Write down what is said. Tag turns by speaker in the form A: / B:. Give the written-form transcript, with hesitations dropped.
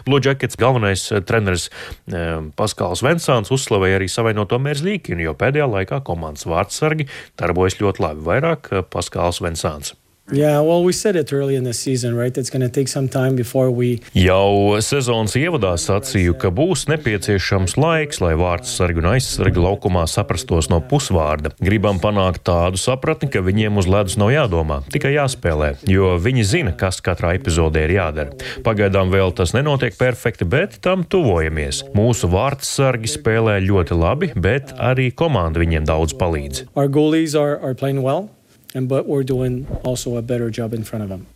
A: Blue Jackets galvenais treneris Paskals Vensāns uzslavēja arī savainoto Merzlīkinu, jo pēdējā laikā komandas vārdsargi darbojas ļoti labi, vairāk Paskals Vensāns.
B: Yeah, well, we said it early in the season, right? It's going to take some time before we...
A: Jau sezonas ievadā sacīju, ka būs nepieciešams laiks, lai vārdsargi un aizsargi laukumā saprastos no pusvārda. Gribam panākt tādu sapratni, ka viņiem uz ledus nav jādomā, tikai jāspēlē, jo viņi zina, kas katrā epizodē ir jādara. Pagaidām vēl tas nenotiek perfekti, bet tam tuvojamies. Mūsu vārdsargi spēlē ļoti labi, bet arī komanda viņiem daudz palīdz.
B: Our goalies are playing well. But we're doing also a better job in front of them.